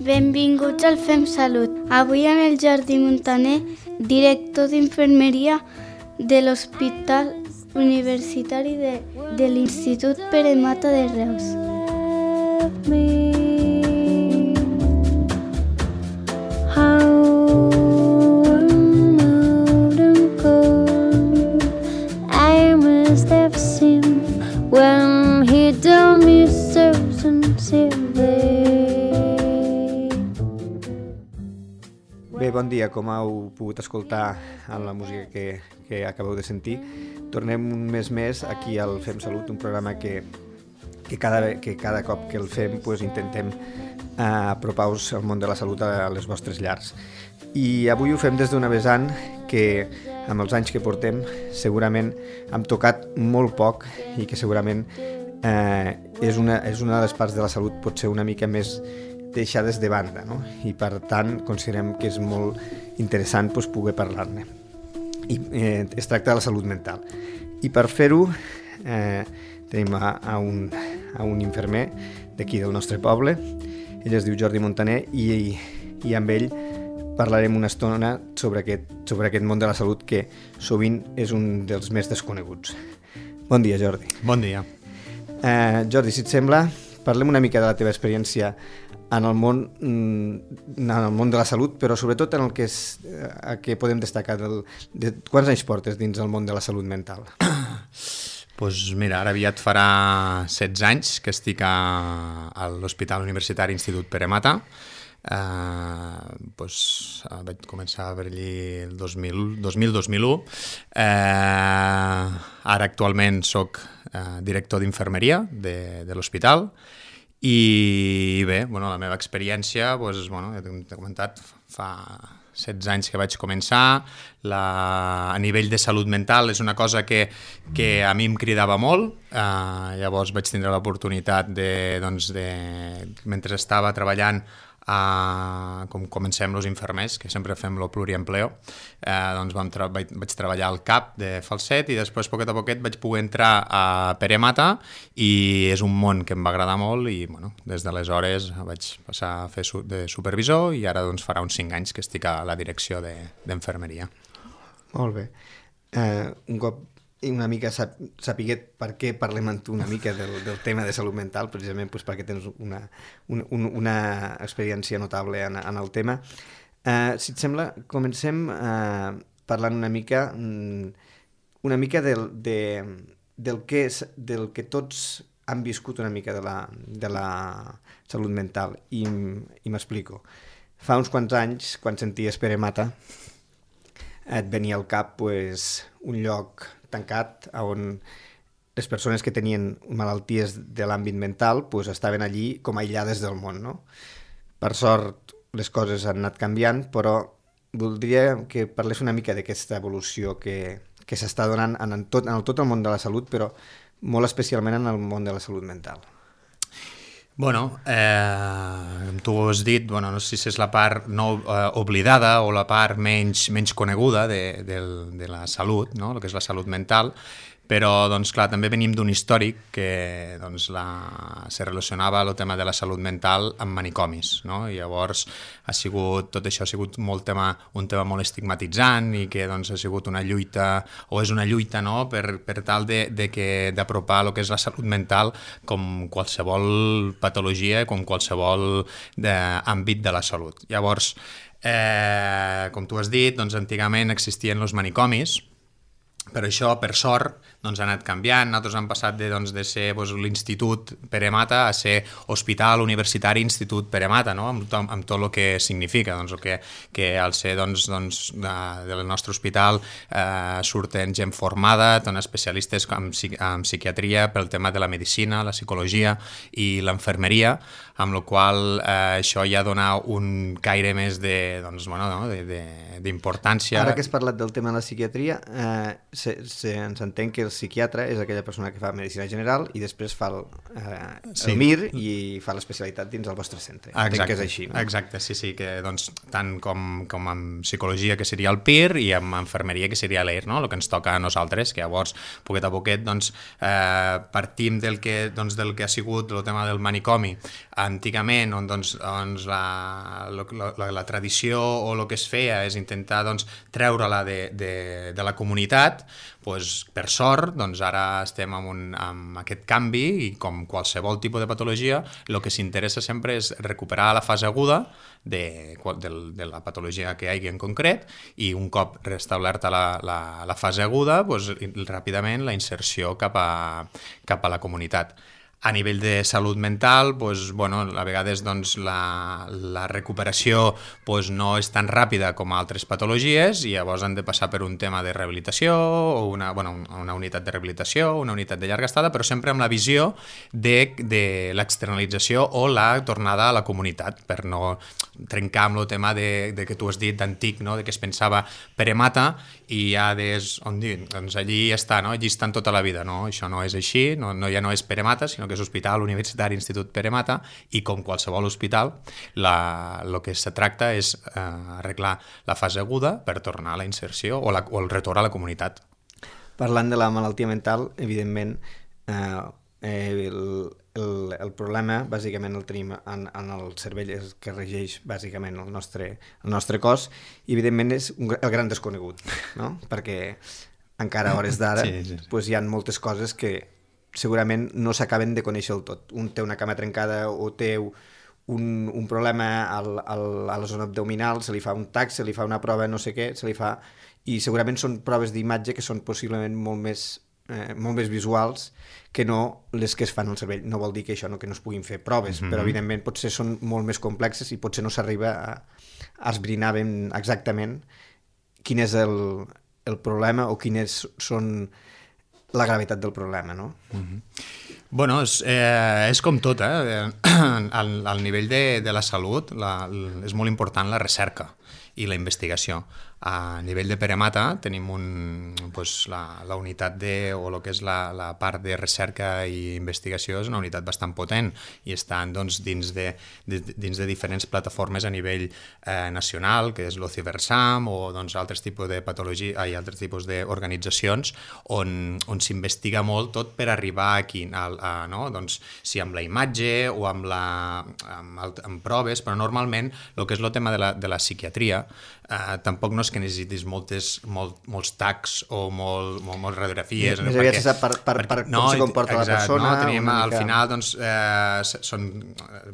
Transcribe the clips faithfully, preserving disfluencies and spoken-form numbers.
Benvinguts al Fem Salut. Avui amb el Jordi Montaner, director d'infermeria de l'Hospital Universitari de, de l'Institut Pere Mata de Reus. Bé, bon dia. Com heu pogut escoltar en la música que, que acabeu de sentir, tornem un mes més aquí al Fem Salut, un programa que, que, cada, que cada cop que el fem pues, intentem eh, apropar-vos al món de la salut a les vostres llars. I avui ho fem des d'una vessant que, amb els anys que portem, segurament hem tocat molt poc i que segurament eh, és, una, és una de les parts de la salut potser una mica més deixades de banda, no? I per tant considerem que és molt interessant doncs, poder parlar-ne. I eh, es tracta de la salut mental. I per fer-ho eh, tenim a, a, un, a un infermer d'aquí del nostre poble. Ell es diu Jordi Montaner i, i amb ell parlarem una estona sobre aquest, sobre aquest món de la salut que sovint és un dels més desconeguts. Bon dia, Jordi. Bon dia. Eh, Jordi, si et sembla, parlem una mica de la teva experiència en el món, en el món de la salut, però sobretot en el que, és, a què podem destacar. Del, de, quants anys portes dins el món de la salut mental? Pues mira, ara aviat farà setze anys que estic a, a l'Hospital Universitari Institut Pere Mata. Uh, pues, uh, vaig començar per allí el dos mil, dos mil dos mil u. Uh, ara actualment soc uh, director d'infermeria de, de l'hospital. I bé, bueno, la meva experiència, doncs, bueno, ja t'he comentat, fa setze anys que vaig començar. La, a nivell de salut mental és una cosa que, que a mi em cridava molt. Uh, llavors vaig tindre l'oportunitat de, doncs, de, mentre estava treballant, Uh, com comencem els infermers, que sempre fem el pluriempleo, uh, doncs vam tra- vaig, vaig treballar al CAP de Falset i després, poquet a poquet, vaig poder entrar a Pere Mata i és un món que em va agradar molt i bueno, des d'aleshores vaig passar a fer su- de supervisor i ara doncs, farà uns cinc anys que estic a la direcció de, d'infermeria. Molt bé. Uh, un cop una mica sap, sapiguet per què parlem amb tu una mica del, del tema de salut mental, precisament doncs, perquè tens una, una, una experiència notable en, en el tema. Uh, si et sembla, comencem uh, parlant una mica una mica del, de, del, que és, del que tots han viscut una mica de la, de la salut mental. I, i m'explico. Fa uns quants anys, quan senties Pere Mata, et venia al cap pues, un lloc tancat on les persones que tenien malalties de l'àmbit mental pues, estaven allí com aïllades del món. No? Per sort les coses han anat canviant, però voldria que parlés una mica d'aquesta evolució que, que s'està donant en, en, tot, en el, tot el món de la salut, però molt especialment en el món de la salut mental. Bueno, eh, tu ho has dit, bueno, no sé si és la part no eh, oblidada o la part menys, menys coneguda de, de, de la salut, no? El que és la salut mental, però doncs, clar, també venim d'un històric que doncs, la, se relacionava el tema de la salut mental amb manicomis, no? I llavors ha sigut, tot això ha sigut molt tema, un tema molt estigmatitzant i que doncs, ha sigut una lluita, o és una lluita, no? per, per tal de, de que, d'apropar el que és la salut mental com qualsevol patologia, com qualsevol de, àmbit de la salut. Llavors, eh, com tu has dit, doncs, antigament existien els manicomis, però això, per sort, doncs, ha anat canviant. Nosaltres hem passat de, doncs, de ser doncs, l'Institut Pere Mata a ser Hospital Universitari Institut Pere Mata, no? amb, to- amb tot el que significa, doncs, el que, que al ser doncs, doncs, de, del nostre hospital eh, surten gent formada, doncs, especialistes en, psi- en psiquiatria pel tema de la medicina, la psicologia i l'enfermeria, amb la qual eh, això ja dona un caire més de, doncs, bueno, no? de, de, d'importància. Ara que has parlat del tema de la psiquiatria, eh, se, se, ens entén que el psiquiatre és aquella persona que fa medicina general i després fa el, eh, sí. el M I R i fa l'especialitat dins el vostre centre. Exacte, entenc que és així, no? Exacte, sí, sí, que doncs, tant com, com amb psicologia, que seria el P I R, i amb enfermeria, que seria l'E I R, no? El que ens toca a nosaltres, que llavors, poquet a poquet, doncs, eh, partim del que, doncs, del que ha sigut el tema del manicomi antigament, on doncs, doncs, la, la, la, la tradició o el que es feia és intentar doncs, treure-la de, de, de la comunitat. Pues, per sort, doncs ara estem amb, un, amb aquest canvi i com qualsevol tipus de patologia, el que s'interessa sempre és recuperar la fase aguda de, de, de la patologia que hi hagi en concret i un cop restablerta la, la, la fase aguda, pues, ràpidament la inserció cap a, cap a la comunitat. A nivell de salut mental, pues, bueno, a vegades doncs, la, la recuperació pues, no és tan ràpida com altres patologies i llavors han de passar per un tema de rehabilitació o una, bueno, una unitat de rehabilitació, una unitat de llarga estada, però sempre amb la visió de, de l'externalització o la tornada a la comunitat, per no trencar amb el tema de, de que tu has dit d'antic, no? De que es pensava Peremata i ja des, on dir, doncs allí està, no? Allí estan tota la vida, no? Això no és així, no, no, ja no és Peremata, sinó que és Hospital Universitari Institut Peremata i com qualsevol hospital la, el que se tracta és eh, arreglar la fase aguda per tornar a la inserció o, la, o el retorn a la comunitat. Parlant de la malaltia mental, evidentment eh, el, el, el problema bàsicament el tenim en, en el cervell que regeix bàsicament el nostre, el nostre cos i evidentment és un, el gran desconegut, no? Perquè encara a hores d'ara sí, sí. Pues hi ha moltes coses que segurament no s'acaben de conèixer del tot. Un té una cama trencada o té un, un problema al, al, a la zona abdominal, se li fa un tac, se li fa una prova no sé què, se li fa... I segurament són proves d'imatge que són possiblement molt més, eh, molt més visuals que no les que es fan al cervell. No vol dir que això no, que no es puguin fer proves, mm-hmm. però evidentment potser són molt més complexes i potser no s'arriba a, a esbrinar ben exactament quin és el, el problema o quines són la gravetat del problema, no? Mm-hmm. Bueno, és, eh, és com tot, eh? Al, al nivell de, de la salut la, és molt important la recerca i la investigació. A nivell de Peremata tenim un, pues, la, la unitat de, o el que és la, la part de recerca i investigació és una unitat bastant potent i estan doncs, dins, de, de, dins de diferents plataformes a nivell eh, nacional, que és l'Ociversam o doncs, altres tipus de patologia i altres tipus d'organitzacions on, on s'investiga molt tot per arribar aquí, a, a, no? Doncs, si amb la imatge o amb, la, amb, amb proves, però normalment el que és el tema de la, de la psiquiatria eh, tampoc no és que necessitis moltes, molt, molts tacs o molt, molt, molt radiografies. Més aviat se sap per, per, per, per no, com se comporta exacte, la persona. No, tenim, al mica... final doncs, eh, són,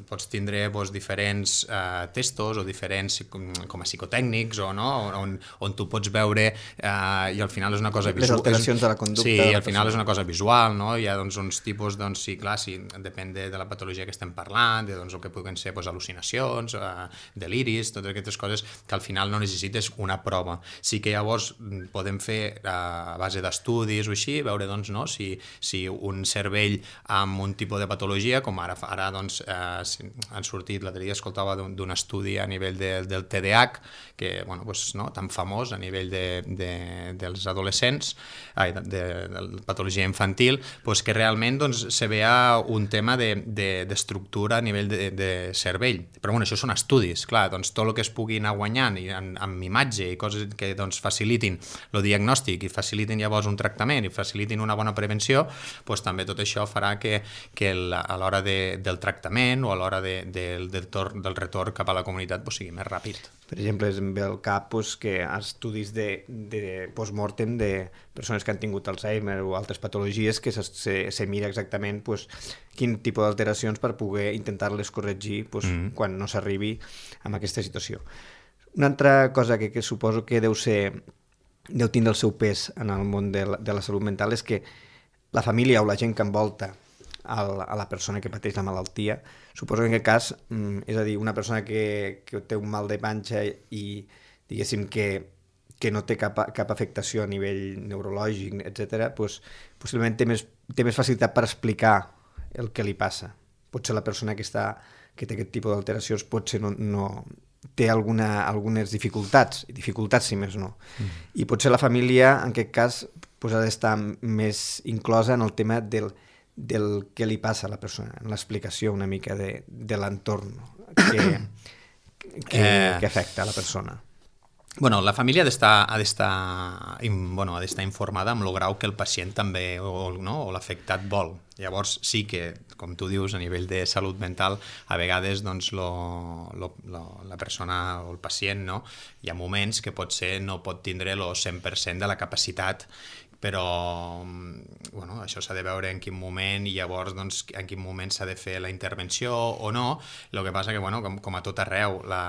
pots tindre doncs, diferents eh, testos o diferents com, com a psicotècnics o, no? on, on tu pots veure eh, i al final és una cosa visual. Les alteracions de la conducta. Sí, de la al final és una cosa visual, no? Hi ha doncs, uns tipus, doncs, sí, clar, sí, depèn de, de la patologia que estem parlant, de doncs, el que puguen ser doncs, al·lucinacions, eh, deliris, totes aquestes coses que al final no necessites una prova. Sí que llavors podem fer a base d'estudis o així, veure doncs, no, si, si un cervell amb un tipus de patologia, com ara, ara doncs, eh, han sortit, l'altre dia escoltava d'un estudi a nivell de, del T D A H, que bueno, doncs, no, tan famós a nivell de, de, dels adolescents, ai, de, de, de patologia infantil, doncs que realment doncs, se veia un tema d'estructura de, de, a nivell de, de cervell. Però bueno, això són estudis, clar, doncs tot el que es pugui anar guanyant i amb, amb imatge i coses que doncs, facilitin el diagnòstic i facilitin llavors un tractament i facilitin una bona prevenció, doncs també tot això farà que, que la, a l'hora de, del tractament o a l'hora de, de, del, tor, del retorn cap a la comunitat doncs, sigui més ràpid. Per exemple, em ve al cap doncs, que estudis de, de post-mortem de persones que han tingut Alzheimer o altres patologies que se, se, se mira exactament doncs, quin tipus d'alteracions per poder intentar-les corregir doncs, mm-hmm. quan no s'arribi a aquesta situació. Una altra cosa que, que suposo que deu ser, deu tindre el seu pes en el món de la, de la salut mental és que la família o la gent que envolta el, a la persona que pateix la malaltia, suposo que en aquest cas, és a dir, una persona que, que té un mal de panxa i diguéssim que, que no té cap, cap afectació a nivell neurològic, etcètera, doncs, possiblement té més, té més facilitat per explicar el que li passa. Potser la persona que, està, que té aquest tipus d'alteracions potser no... no té alguna, algunes dificultats, dificultats si més no. Mm. I potser la família, en aquest cas, pues, ha d'estar més inclosa en el tema del, del que li passa a la persona, en l'explicació una mica de, de l'entorn que, que, eh... que afecta a la persona. Bueno, la família ha d'estar ha d'estar bueno, ha d'estar informada amb el grau que el pacient també o, no, o l'afectat vol. Llavors sí que, com tu dius, a nivell de salut mental, a vegades doncs, lo, lo, lo, la persona o el pacient, no? Hi ha moments que potser no pot tindre el cent per cent de la capacitat, però bueno, això s'ha de veure en quin moment i llavors doncs, en quin moment s'ha de fer la intervenció o no. El que passa que, bueno, com, com a tot arreu, la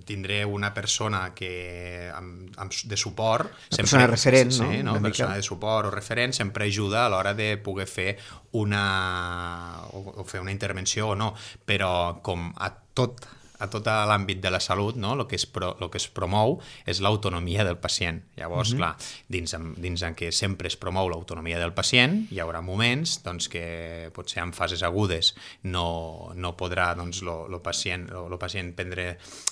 tindré una persona que amb, amb, de suport, una persona sempre, referent, sí, no? Sí, no? Una persona de suport o referent sempre ajuda a l'hora de poder fer una o, o fer una intervenció o no, però com a tot a tot l'àmbit de la salut, no? el, que es pro, el que es promou és l'autonomia del pacient. Llavors, mm-hmm. clar, dins, dins en què sempre es promou l'autonomia del pacient, hi haurà moments doncs, que potser en fases agudes no, no podrà doncs, lo, lo pacient, lo, lo pacient prendre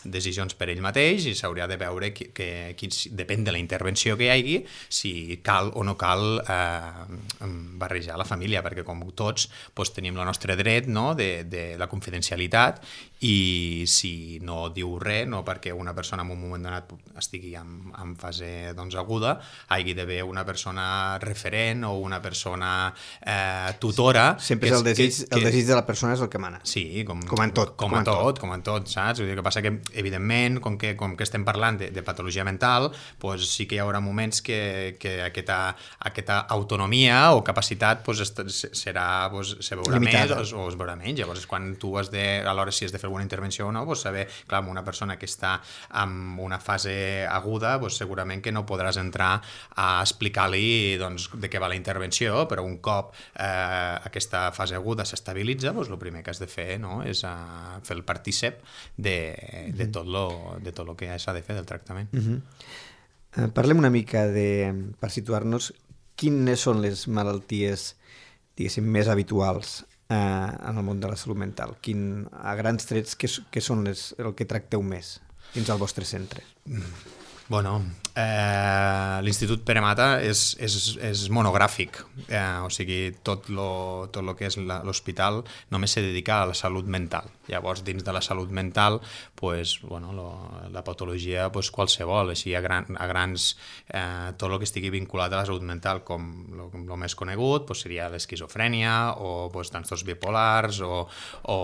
decisions per ell mateix i s'haurà de veure que, que, que depèn de la intervenció que hi hagi, si cal o no cal eh, barrejar la família, perquè com tots doncs, tenim el nostre dret, no? de, de la confidencialitat, i si no diu res, no perquè una persona en un moment donat estigui en, en fase doncs, aguda, hagi d'haver una persona referent o una persona eh, tutora. Sempre és el desig, que, el desig de la persona és el que mana. Sí, com, com en tot. Com, com en tot, tot, com en tot, saps? Vull dir, que passa que, evidentment, com que, com que estem parlant de, de patologia mental, pues, sí que hi haurà moments que, que aquesta, aquesta autonomia o capacitat pues, serà, pues, se veurà limitada. Més o, o es veurà menys. Llavors, quan tu has de, alhora si has de fer alguna intervenció o no, pues saber, clar, una persona que està en una fase aguda, pues segurament que no podràs entrar a explicar-li doncs, de què va la intervenció, però un cop eh, aquesta fase aguda s'estabilitza, pues, el primer que has de fer, no, és uh, fer el partícep de, de, tot lo, de tot el que s'ha de fer del tractament. Uh-huh. uh, parlem una mica de, per situar-nos, quines són les malalties, diguéssim, més habituals en el món de la salut mental? Quin, a grans trets, què, què són les, el que tracteu més dins el vostre centre? Bueno, eh, l'Institut Pere Mata és, és, és monogràfic, eh, o sigui, tot lo, tot lo que és l'hospital només se dedica a la salut mental. Llavors, dins de la salut mental, pues, bueno, lo, la patologia pues, qualsevol, així a, gran, a grans, eh, tot el que estigui vinculat a la salut mental, com el més conegut, pues, seria l'esquizofrènia o pues, trastorns bipolars o, o,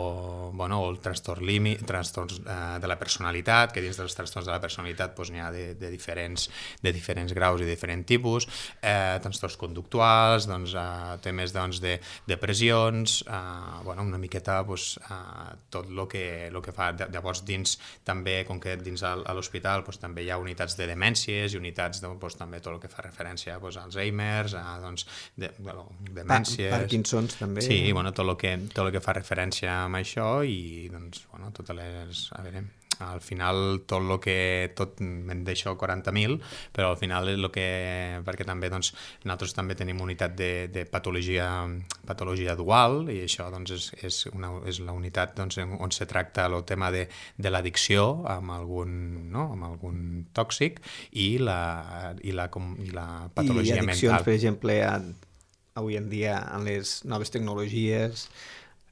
bueno, o el trastorn límit, trastorns eh, de la personalitat, que dins dels trastorns de la personalitat pues, n'hi ha de, de, diferents, de diferents graus i diferents tipus, eh, trastorns conductuals, doncs, eh, temes doncs, de depressions, eh, bueno, una miqueta pues, eh, tot el que, lo que fa. Llavors, dins també, com que dins a l'hospital pues, també hi ha unitats de demències i unitats de, pues, també tot el que fa referència pues, a Alzheimer's, a doncs, de, bueno, demències... Pa Parkinson's també. Sí, bueno, tot el que, tot el que fa referència a això i doncs, bueno, totes les... A veure, al final tot el que... tot me'n deixo quaranta mil, però al final el que... perquè també doncs, nosaltres també tenim unitat de, de patologia, patologia dual i això doncs, és, és, una, és la unitat doncs, on se tracta el tema de, de l'addicció amb algun, no? amb algun tòxic i la, i la, com, i la patologia mental. I addiccions, mental. Per exemple, a, avui en dia en les noves tecnologies...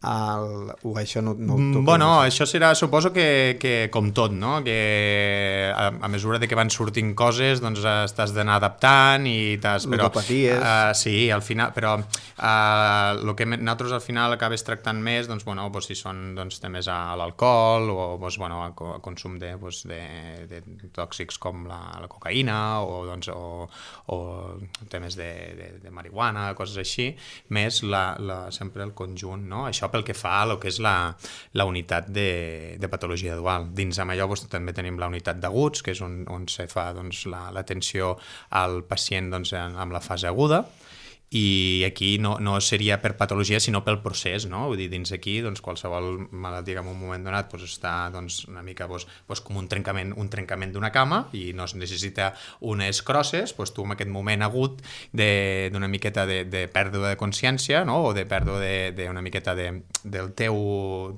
El, o això no, no ho bueno, això serà, suposo que, que com tot, no? Que a, a mesura de que van sortint coses doncs t'has d'anar adaptant i t'has... Ludopaties. Uh, sí, al final, però uh, el que nosaltres al final acabes tractant més, doncs, bueno, doncs, si són doncs, temes a l'alcohol o doncs, bueno, a, a consum de, doncs, de, de tòxics com la, la cocaïna o, doncs, o, o temes de, de, de marihuana, coses així, més la, la, sempre el conjunt, no? Això pel que fa a lo que és la, la unitat de, de patologia dual. Dins amb allò doncs, també tenim la unitat d'aguts, que és on, on se fa doncs, l'atenció la, al pacient doncs, amb la fase aguda, i aquí no, no seria per patologia sinó pel procés, no? Vull dir, dins aquí doncs, qualsevol malaltia que en un moment donat doncs, està doncs, una mica doncs, doncs, com un trencament un trencament d'una cama i no es necessita unes crosses, doncs, tu en aquest moment agut d'una miqueta de, de pèrdua de consciència, no? O de pèrdua d'una de, miqueta de, del, teu,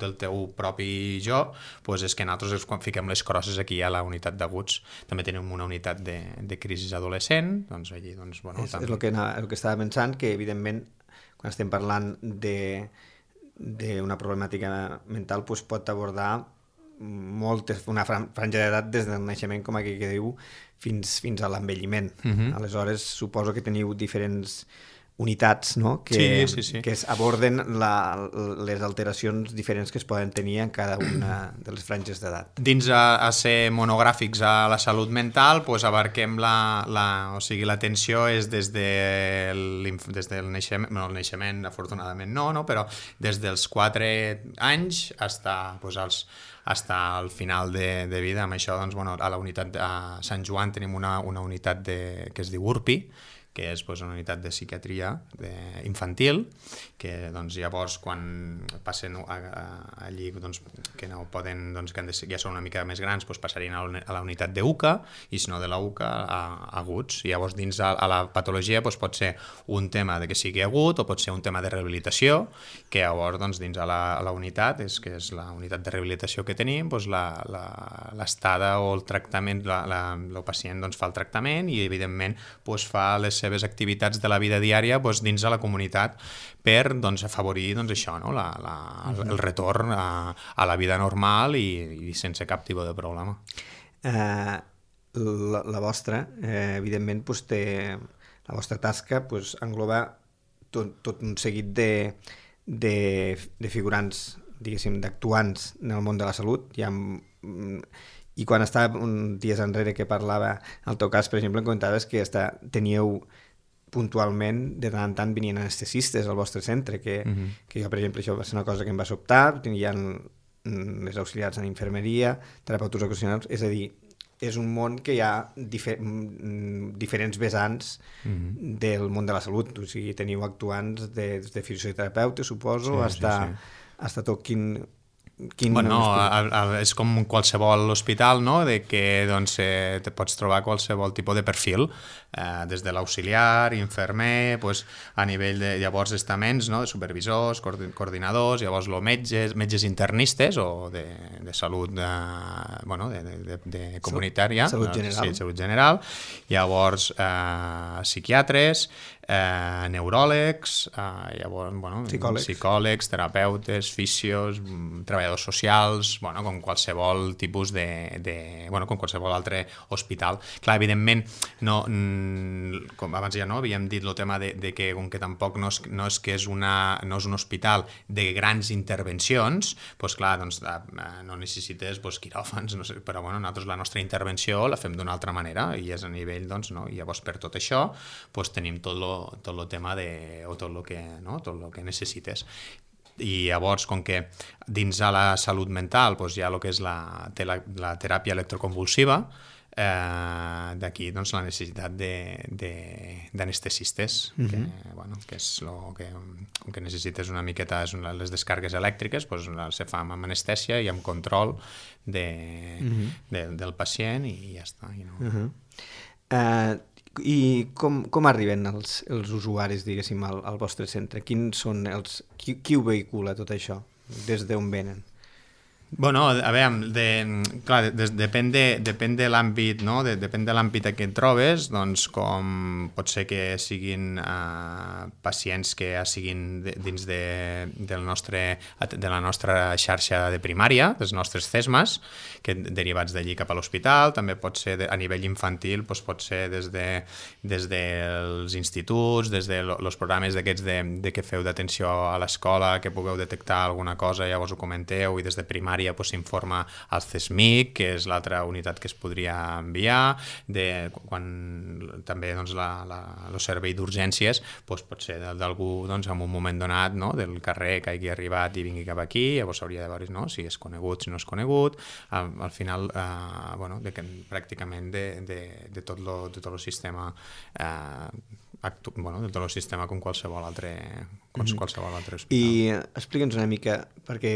del teu propi jo, doncs és que nosaltres quan fiquem les crosses aquí a la unitat d'aguts. També tenim una unitat de, de crisi adolescent, doncs allí doncs, bueno, és, també... és el que, el que estava pensant, que evidentment quan estem parlant d'una problemàtica mental doncs pot abordar moltes, una franja d'edat des del naixement, com aquí que diu, fins, fins a l'envelliment. Uh-huh. Aleshores, suposo que teniu diferents unitats, no? que, sí, sí, sí. que aborden la, les alteracions diferents que es poden tenir en cada una de les franges d'edat. Dins a, a ser monogràfics a la salut mental, pues abarquem la, la, o sigui, l'atenció és des, de des del naixement, no, el naixement afortunadament no, no, però des dels quatre anys hasta, pues, als, hasta el final de, de vida. Amb això, doncs, bueno, a la unitat a Sant Joan tenim una, una unitat de, que es diu U R P I, que és doncs, una unitat de psiquiatria de, infantil, que doncs, llavors quan passen a, a, allí doncs, que no poden, doncs, que de, ja són una mica més grans, doncs, passarien a, a la unitat de U C A, i si no de la U C A a, a aguts. I llavors dins a, a la patologia doncs, pot ser un tema de que sigui agut o pot ser un tema de rehabilitació, que llavors doncs, dins a la, a la unitat, és, que és la unitat de rehabilitació que tenim, doncs, l'estada o el tractament, la, la, el pacient doncs, fa el tractament i evidentment doncs, fa les seves activitats de la vida diària doncs, dins de la comunitat per doncs, afavorir doncs, això, no? la, la, el retorn a, a la vida normal i, i sense cap tipus de problema. Uh, la, la vostra, eh, evidentment, doncs, té, la vostra tasca doncs, engloba tot, tot un seguit de, de, de figurants, diguéssim, d'actuants en el món de la salut. Hi ha... I quan estava uns dies enrere que parlava, al teu cas, per exemple, em comentaves que està, teníeu puntualment, de tant en tant venien anestesistes al vostre centre, que, uh-huh. que jo, per exemple, això va ser una cosa que em va sobtar, tenien les auxiliars en infermeria, terapeutes ocupacionals, és a dir, és un món que hi ha difer diferents vessants uh-huh. del món de la salut, o sigui, teniu actuants de, de fisioterapeutes, suposo, sí, hasta, sí, sí. hasta tot quin... Quin bueno, no, a, a, és com qualsevol hospital, no? De que doncs, eh, te pots trobar qualsevol tipus de perfil, eh, des de l'auxiliar, infermer, pues, a nivell de llavors estaments, no? De supervisors, coordinadors, llavors lo metges, metges internistes o de, de salut de, bueno, de, de, de comunitària, salut general, sí, salut general. Llavors eh, psiquiatres, eh, neuròlegs, eh, llavors, bueno, psicòlegs. psicòlegs, terapeutes, fisios, treballadors socials, bueno, com qualsevol tipus de, de bueno, com qualsevol altre hospital. Clar, evidentment, no, com abans ja no havíem dit el tema de, de que com que tampoc no és, no és que és una, no és un hospital de grans intervencions, doncs clar, doncs, no necessites doncs, quiròfans, no sé, però bueno, nosaltres la nostra intervenció la fem d'una altra manera i és a nivell, doncs, no? I llavors per tot això doncs, tenim tot lo tot el tema de, o tot el que, no? Tot el que necessites. I llavors, com que dins de la salut mental doncs, hi ha el que és la, la, la teràpia electroconvulsiva, eh, d'aquí doncs, la necessitat d'anestesistes, uh-huh. que, bueno, que és lo que, que necessites una miqueta, és una, les descargues elèctriques, doncs, se fa amb anestèsia i amb control de, uh-huh. de, del pacient i ja està. I no... uh-huh. uh, I com, com arriben els, els usuaris, diguéssim, al, al vostre centre? Quins són els, qui, qui ho vehicula tot això? Des d'on venen? Bueno, a veure, de, clar, de, depèn de, depèn de l'àmbit, no? De, depèn de l'àmbit que et trobes, doncs com pot ser que siguin uh, pacients que ja siguin de, dins de, del nostre, de la nostra xarxa de primària, dels nostres CESMAs, que derivats d'allí cap a l'hospital, també pot ser de, a nivell infantil, doncs pot ser des, de, des dels instituts, des de los programes d'aquests de, de que feu d'atenció a l'escola, que pugueu detectar alguna cosa, llavors ho comenteu, i des de primària s'informa al CESMIC, que és l'altra unitat que es podria enviar, de, quan també doncs, la, la, el servei d'urgències doncs, pot ser d'algú doncs, en un moment donat, no? Del carrer que hagi arribat i vingui cap aquí, llavors hauria de veure, no? Si és conegut, si no és conegut, al, al final eh, bueno, de que, pràcticament de, de, de tot lo, de tot el sistema eh, actu bueno, de tot el sistema com qualsevol altre, com mm-hmm. qualsevol altre hospital. I explica'ns una mica, perquè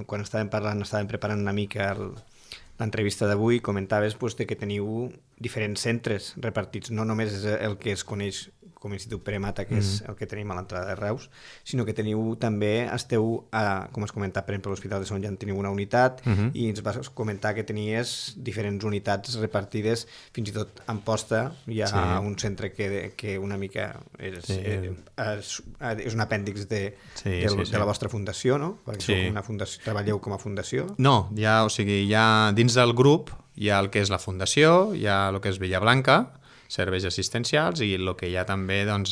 quan estàvem parlant, estàvem preparant una mica l'entrevista d'avui, comentaves pues, que teniu diferents centres repartits, no només és el que es coneix com a Institut Pere Mata, que és el que tenim a l'entrada de Reus, sinó que teniu també, esteu, a, com has comentat, per exemple, a l'Hospital de Sant Jan teniu una unitat, uh-huh. i ens vas comentar que tenies diferents unitats repartides, fins i tot a Amposta hi ha sí. un centre que, que una mica és, sí. és, és un apèndix de, sí, del, sí, sí. de la vostra fundació, no? Perquè sí. sou una fundació, treballeu com a fundació. No, hi ha, o sigui, hi ha, dins del grup hi ha el que és la fundació, hi ha el que és Villablanca, serveis assistencials, i el que hi ha també doncs,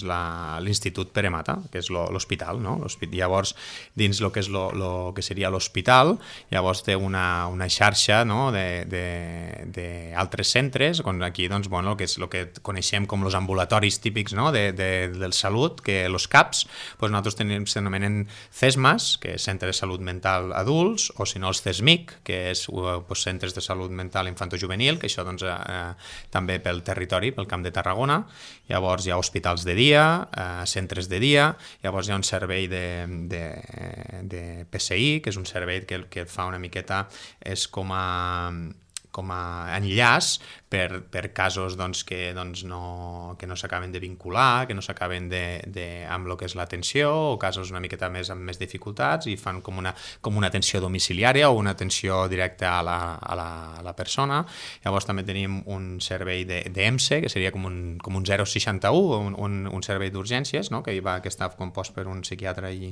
l'Institut Pere Mata, que és l'hospital, no? Llavors, dins el que, és lo, lo que seria l'hospital, llavors té una, una xarxa no? d'altres centres, on aquí doncs, bueno, el que és el que coneixem com els ambulatoris típics no? de, de, del salut, que els CAPs, doncs nosaltres tenim, s'anomenen CESMAS, que és Centre de Salut Mental Adults, o si no els CESMIC, que és doncs, Centres de Salut Mental Infantojuvenil, que això doncs, eh, també pel territori, pel Camp de Tarragona. Llavors hi ha hospitals de dia, eh, centres de dia, llavors hi ha un servei de, de, de P S I, que és un servei que, que fa una miqueta, és com a, com a enllaç per, per casos doncs, que, doncs, no, que no s'acaben de vincular, que no s'acaben de, de, amb el que és l'atenció, o casos una miqueta més amb més dificultats, i fan com una, com una atenció domiciliària o una atenció directa a la, a la, a la persona. Llavors també tenim un servei de, de E M S E, que seria com un, com un zero seixanta u, un, un, un servei d'urgències, no? que, va, que està compost per un psiquiatre i,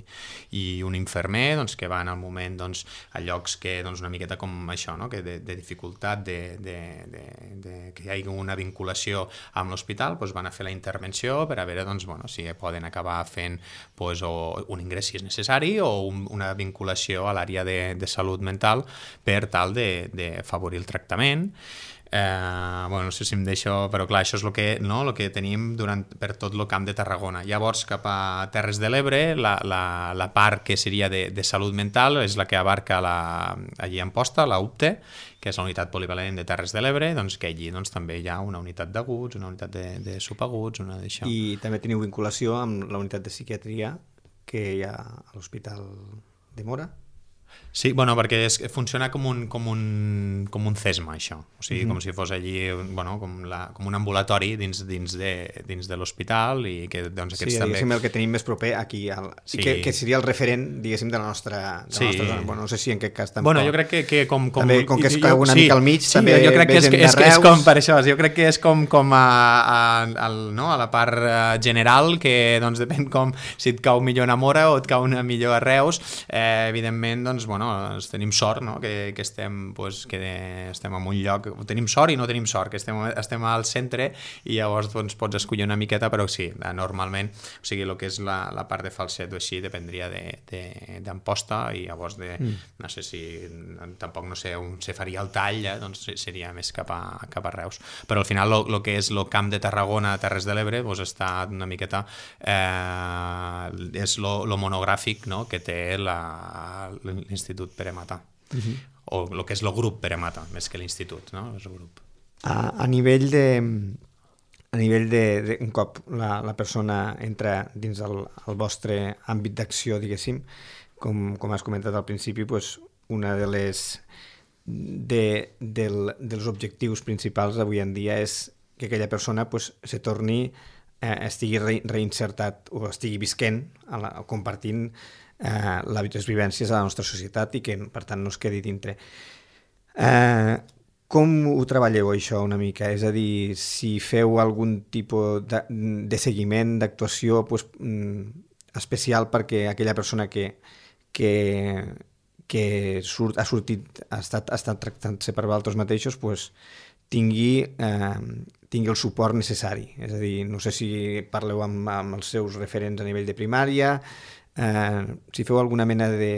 i un infermer, doncs, que van al moment doncs, a llocs que doncs, una miqueta com això, no? que de, de dificultat, de, de, de, de que hi hagi una vinculació amb l'hospital, doncs van a fer la intervenció per a veure doncs, bueno, si poden acabar fent doncs, o un ingrés si és necessari o un, una vinculació a l'àrea de, de salut mental per tal de, de favorir el tractament. Eh, bueno, no sé si em deixo, però clar, això és el que, no, el que tenim durant, per tot el Camp de Tarragona. Llavors, cap a Terres de l'Ebre, la, la, la part que seria de, de salut mental és la que abarca la, allí a Amposta, la U P T E, que és la unitat polivalent de Terres de l'Ebre, doncs que allí doncs, també hi ha una unitat d'aguts, una unitat de, de subaguts, una d'això. I també teniu vinculació amb la unitat de psiquiatria que hi ha a l'Hospital de Mora? Sí, bueno, perquè és, funciona com un, com, un, com un CESMA, això. O sigui, mm-hmm. com si fos allí, bueno, com, la, com un ambulatori dins, dins de, dins de l'hospital i que, doncs, aquests sí, també... diguéssim, el que tenim més proper aquí, al... sí. que, que seria el referent, diguéssim, de la nostra, de sí. la nostra zona. Bueno, no sé si en aquest cas tampoc... Bueno, jo crec que, que com... com... També, com que és jo, una sí, mica al mig, sí, també jo crec que és, és, és com per això, jo crec que és com, com a, a, a, no, a la part general, que doncs depèn com si et cau millor a Mora o et cau una millor a Reus, eh, evidentment, doncs, bueno, tenim sort, no? que, que estem pues, que estem en un lloc, tenim sort i no tenim sort, que estem, estem al centre i llavors doncs, pots escollir una miqueta, però sí, normalment, o sigui, el que és la, la part de falset o així dependria d'Amposta i llavors de, mm. no sé si tampoc no sé on se faria el tall, eh? doncs seria més cap a, cap a Reus, però al final el que és el Camp de Tarragona, Terres de l'Ebre, doncs està una miqueta eh, és lo monogràfic, no? que té l'Institut Pere Mata. Uh-huh. O el que és el grup Pere Mata, més que l'institut, no? És el grup. A, a nivell de a nivell de, de un cop la, la persona entra dins el, el vostre àmbit d'acció, diguéssim, com, com has comentat al principi, pues, una de les de, del, dels objectius principals avui en dia és que aquella persona pues, se torni eh, estigui re, reinsertat o estigui visquent, a la, compartint eh, les vivències a la nostra societat i que per tant no es quedi dintre. Eh, com ho treballeu això una mica? És a dir, si feu algun tipus de, de seguiment, d'actuació pues, especial perquè aquella persona que, que, que surt, ha sortit, ha estat, ha estat tractant-se per vosaltres mateixos, pues, tingui, eh, tingui el suport necessari. És a dir, no sé si parleu amb, amb els seus referents a nivell de primària, eh, si feu alguna mena de,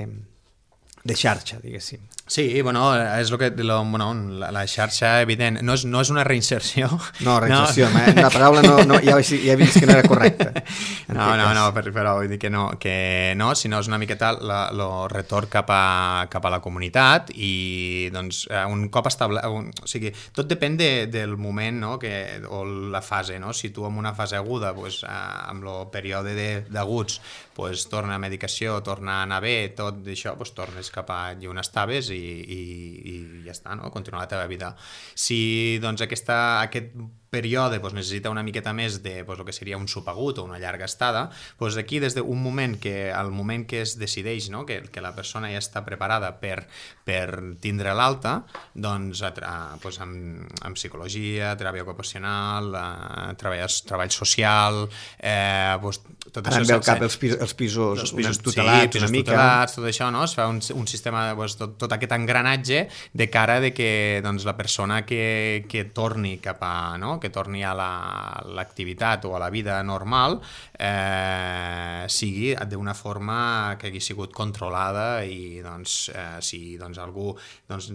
de xarxa, diguéssim. Sí, bueno, és el que, lo, bueno, la, la xarxa, evident, no és, no és una reinserció. No, reinserció, no. La paraula no, no, ja, ja he vist que no era correcta. No, no, no, però vull dir que no, que no, sinó és una miqueta el retorn cap a, cap a la comunitat i doncs un cop establert, o sigui, tot depèn de, del moment, no?, que, o la fase, no? Si tu en una fase aguda, pues, amb el període d'aguts, pues, torna a medicació, torna a anar bé, tot això, pues, tornes cap a on estaves i, i, i ja està, no? Continuar la teva vida. Si doncs aquesta, aquest període pues, necessita una miqueta més de pues, el que seria un subagut o una llarga estada, pues, aquí des d'un moment que al moment que es decideix, no? que, que la persona ja està preparada per, per tindre l'alta, doncs a, a, pues, amb, amb psicologia, teràpia ocupacional, a, treball, treball social, eh, pues, tot Ara això... Ara em ve al cap els, pis, els pisos, els pisos tutelats, sí, pisos una mica. tutelats, tot això, no? Es fa un, un sistema, pues, tot, tot aquest engranatge de cara de que doncs, la persona que, que torni cap a... No? que torni a l'activitat o a la vida normal eh, sigui d'una forma que hagi sigut controlada i doncs, eh, si doncs, algú doncs,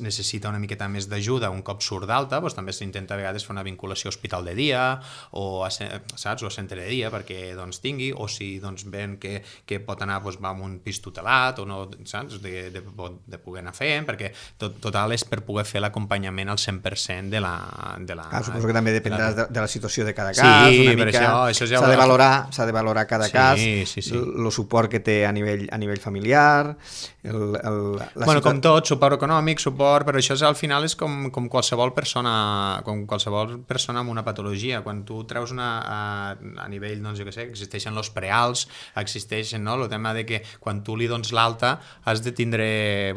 necessita una miqueta més d'ajuda un cop surt d'alta, doncs, també s'intenta a vegades fer una vinculació a hospital de dia o a, saps, o a centre de dia perquè doncs, tingui, o si doncs, ven que, que pot anar doncs, va a un pis tutelat o no, saps, de, de, de poder anar fent, perquè tot, total és per poder fer l'acompanyament al cent per cent de la... De la ah, suposo que també dependrà de, de la situació de cada cas, sí, una mica, això, això ja s'ha de valorar, s'ha de valorar cada sí, cas, sí, sí. el suport que té a nivell, a nivell familiar, el, el, la bueno, ciutat... com tot, suport econòmic, suport, però això és, al final és com, com qualsevol persona com qualsevol persona amb una patologia. Quan tu treus una, a, a nivell, doncs jo què sé, existeixen els preals, existeixen, no?, el tema de que quan tu li dones l'alta has de tindre,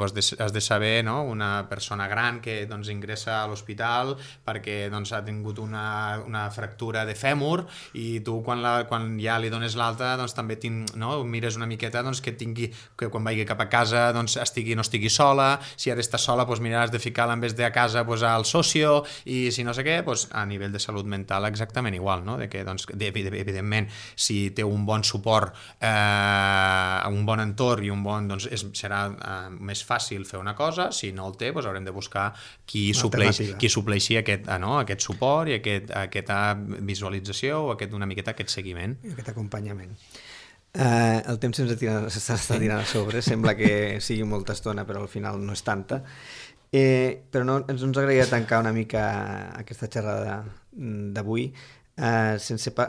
doncs, has de saber, no?, una persona gran que doncs, ingressa a l'hospital perquè doncs, ha tingut una, una fractura de fèmur i tu quan, la, quan ja li dones l'alta doncs, també tinc, no? mires una miqueta doncs, que tingui, que quan vagi cap a casa doncs, estigui, no estigui sola, si ara està sola doncs, miraràs de ficar-la en vez de a casa doncs, al socio i si no sé què, doncs, a nivell de salut mental exactament igual, no? De que, doncs, de, evidentment si té un bon suport eh, un bon entorn i un bon, doncs, és, serà eh, més fàcil fer una cosa, si no el té doncs, haurem de buscar qui supleix, qui supleixi aquest, eh, no? aquest suport i aquest, aquesta visualització o aquest, una miqueta aquest seguiment. Aquest acompanyament. Uh, el temps s'està tirant a sobre, sembla que sigui molta estona però al final no és tanta. Eh, però no, ens, ens agradaria tancar una mica aquesta xerrada d'avui eh, sense pa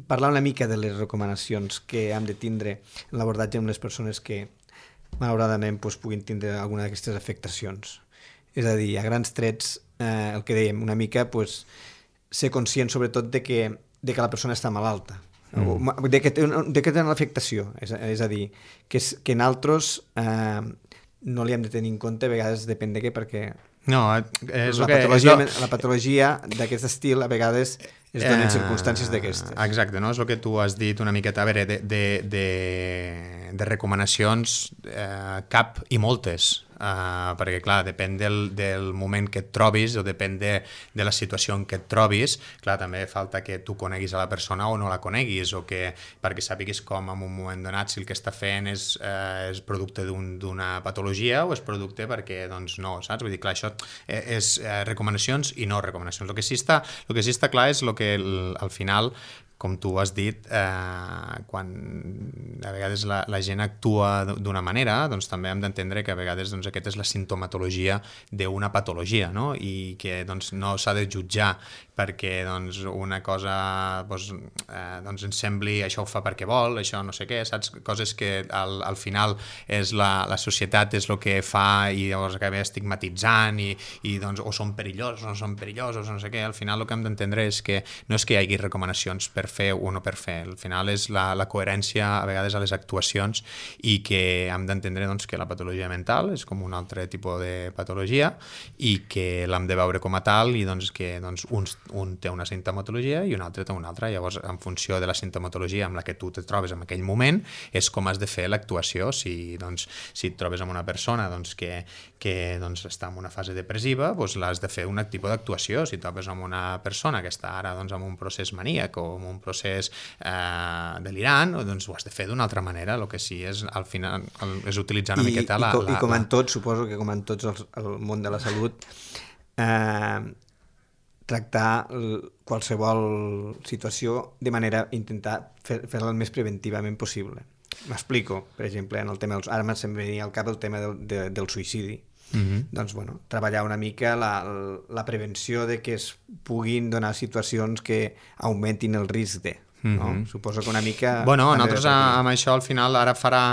parlar una mica de les recomanacions que hem de tindre en l'abordatge amb les persones que malauradament pues, puguin tindre alguna d'aquestes afectacions. És a dir, a grans trets, eh, el que dèiem, una mica pues, ser conscient sobretot de que, de que la persona està malalta, mm. de que té, de que té una afectació, és, és a dir, que, que en altres eh, no li hem de tenir en compte, a vegades depèn de què, perquè no, és la, que, patologia, és la patologia d'aquest estil a vegades es donen eh, circumstàncies d'aquestes. Exacte, no? És el que tu has dit una miqueta, a veure, de, de, de, de recomanacions eh, cap i moltes, Uh, perquè clar, depèn del, del moment que et trobis o depèn de, de la situació en què et trobis, clar, també falta que tu coneguis a la persona o no la coneguis o que, perquè sàpiguis com en un moment donat si el que està fent és, uh, és producte d'una un, patologia o és producte perquè, doncs no, saps? Vull dir, clar, això és uh, recomanacions i no recomanacions. El que sí està, el que sí està clar és el que el, al final, com tu has dit, eh, quan a vegades la, la gent actua d'una manera, doncs també hem d'entendre que a vegades doncs, aquesta és la sintomatologia d'una patologia, no? I que doncs, no s'ha de jutjar perquè doncs, una cosa doncs, eh, doncs ens sembli això ho fa perquè vol, això no sé què, saps? Coses que al, al final és la, la societat és el que fa i llavors acaba estigmatitzant i, i doncs, o són perillosos o no són perillosos, no sé què. Al final el que hem d'entendre és que no és que hi hagi recomanacions per fer o no per fer, al final és la, la coherència a vegades a les actuacions i que hem d'entendre doncs, que la patologia mental és com un altre tipus de patologia i que l'hem de veure com a tal i doncs, que doncs, uns un té una sintomatologia i un altre té una altra. Llavors, en funció de la sintomatologia amb la que tu te trobes en aquell moment, és com has de fer l'actuació. Si, doncs, si et trobes amb una persona doncs, que, que doncs, està en una fase depressiva, doncs l'has de fer un tipus d'actuació. Si et trobes amb una persona que està ara doncs, en un procés maníac o en un procés eh, delirant, doncs ho has de fer d'una altra manera. El que sí és, al final, és utilitzar una I, miqueta i, la... I com la, en tots, suposo que com en tots els, el món de la salut, eh, tractar qualsevol situació de manera, intentar fer, fer-la el més preventivament possible. M'explico, per exemple, en el tema dels... Ara se'm venia al cap el tema del, de, del suïcidi. Mm-hmm. Doncs, bueno, treballar una mica la, la prevenció de que es puguin donar situacions que augmentin el risc de... No? Mm-hmm. Suposo que una mica... Bueno, nosaltres amb això al final ara farà,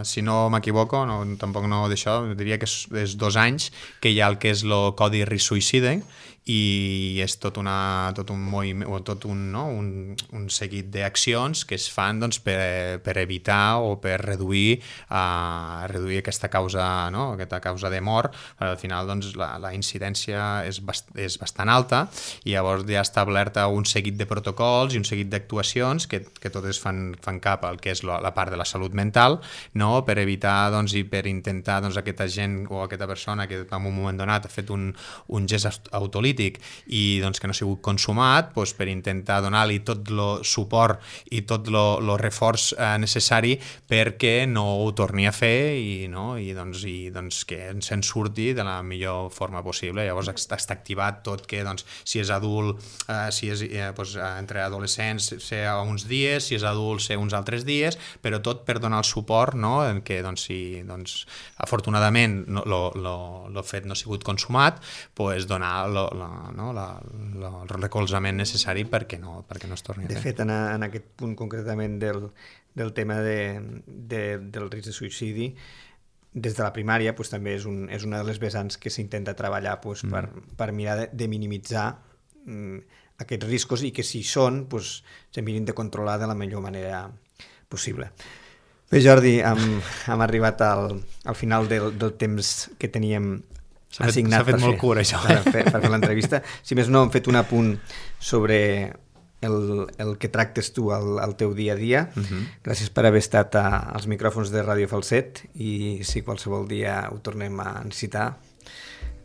si no m'equivoco, no, tampoc no d'això, diria que és, és dos anys que hi ha el que és el Codi Risc Suïcidi i és tot, una, tot un moviment o tot un, no? un, un seguit d'accions que es fan doncs, per, per evitar o per reduir, uh, reduir aquesta causa, no? aquesta causa de mort. Al final doncs, la, la incidència és, bast és bastant alta i llavors ja ha establert un seguit de protocols i un seguit d'actuacions que, que totes fan, fan cap al que és la, la part de la salut mental, no? Per evitar doncs, i per intentar doncs, aquesta gent o aquesta persona que en un moment donat ha fet un, un gest autolític i doncs, que no ha sigut consumat, doncs, per intentar donar-li tot el suport i tot el reforç eh, necessari perquè no ho torni a fer i, no? I, doncs, i doncs, que se'n surti de la millor forma possible. Llavors està activat tot que doncs, si és adult, eh, si és eh, doncs, entre adolescents ser uns dies, si és adult ser uns altres dies, però tot per donar el suport, no? En què doncs, si doncs, afortunadament el no, fet no ha sigut consumat, doncs, donar lo, lo, no, la, la, el recolzament necessari perquè no, perquè no es torni a fer. De fet, en, a, en aquest punt concretament del, del tema de, de, del risc de suïcidi, des de la primària pues, també és, un, és una de les vessants que s'intenta treballar pues, mm. per, per mirar de, de minimitzar mm, aquests riscos i que si són pues, se mirin de controlar de la millor manera possible. Bé, Jordi, hem, hem arribat al, al final del, del temps que teníem assignat. S'ha fet molt fer, cura, això. Per fer, per fer l'entrevista. Si més no, hem fet un apunt sobre el, el que tractes tu al, al teu dia a dia. Uh-huh. Gràcies per haver estat a, als micròfons de Ràdio Falset i si qualsevol dia ho tornem a necessitar,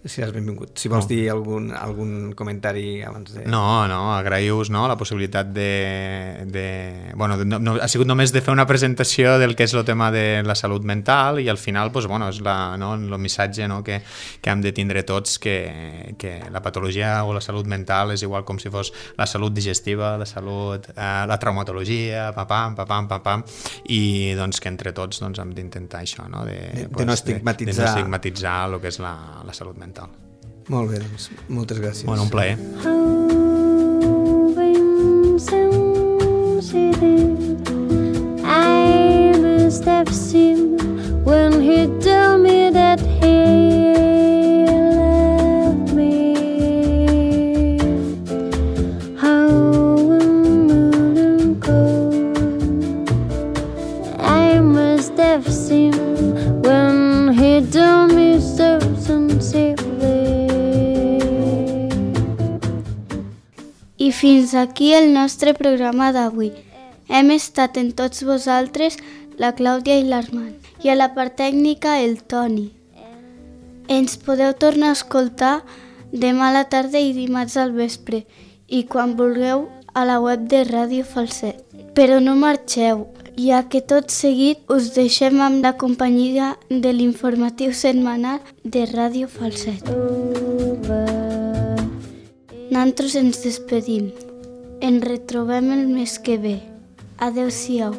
seràs benvingut. Si vols no. dir algun, algun comentari abans de... No, no, agraïu-vos no, la possibilitat de... de... Bueno, de, no, ha sigut només de fer una presentació del que és el tema de la salut mental i al final pues, bueno, és la, no, el missatge no, que, que hem de tindre tots que, que la patologia o la salut mental és igual com si fos la salut digestiva, la salut, eh, la traumatologia, papam, papam, papam, i doncs que entre tots doncs, hem d'intentar això, no? De, de, pues, de no estigmatitzar, de, de no estigmatitzar el que és la, la salut mental. Molt bé, doncs, moltes gràcies. Bueno, un plaer. I must have seen when he told me that he loved me. How and cold I must have seen when he told me so sincerely. I fins aquí el nostre programa d'avui. Hem estat en tots vosaltres la Clàudia i l'Armand i a la part tècnica el Toni. Ens podeu tornar a escoltar demà a la tarda i dimarts al vespre i quan vulgueu a la web de Ràdio Falset. Però no marxeu, ja que tot seguit us deixem amb la companyia de l'informatiu setmanal de Ràdio Falset. Nosaltres ens despedim. Ens retrobem el mes que ve. Adéu-siau.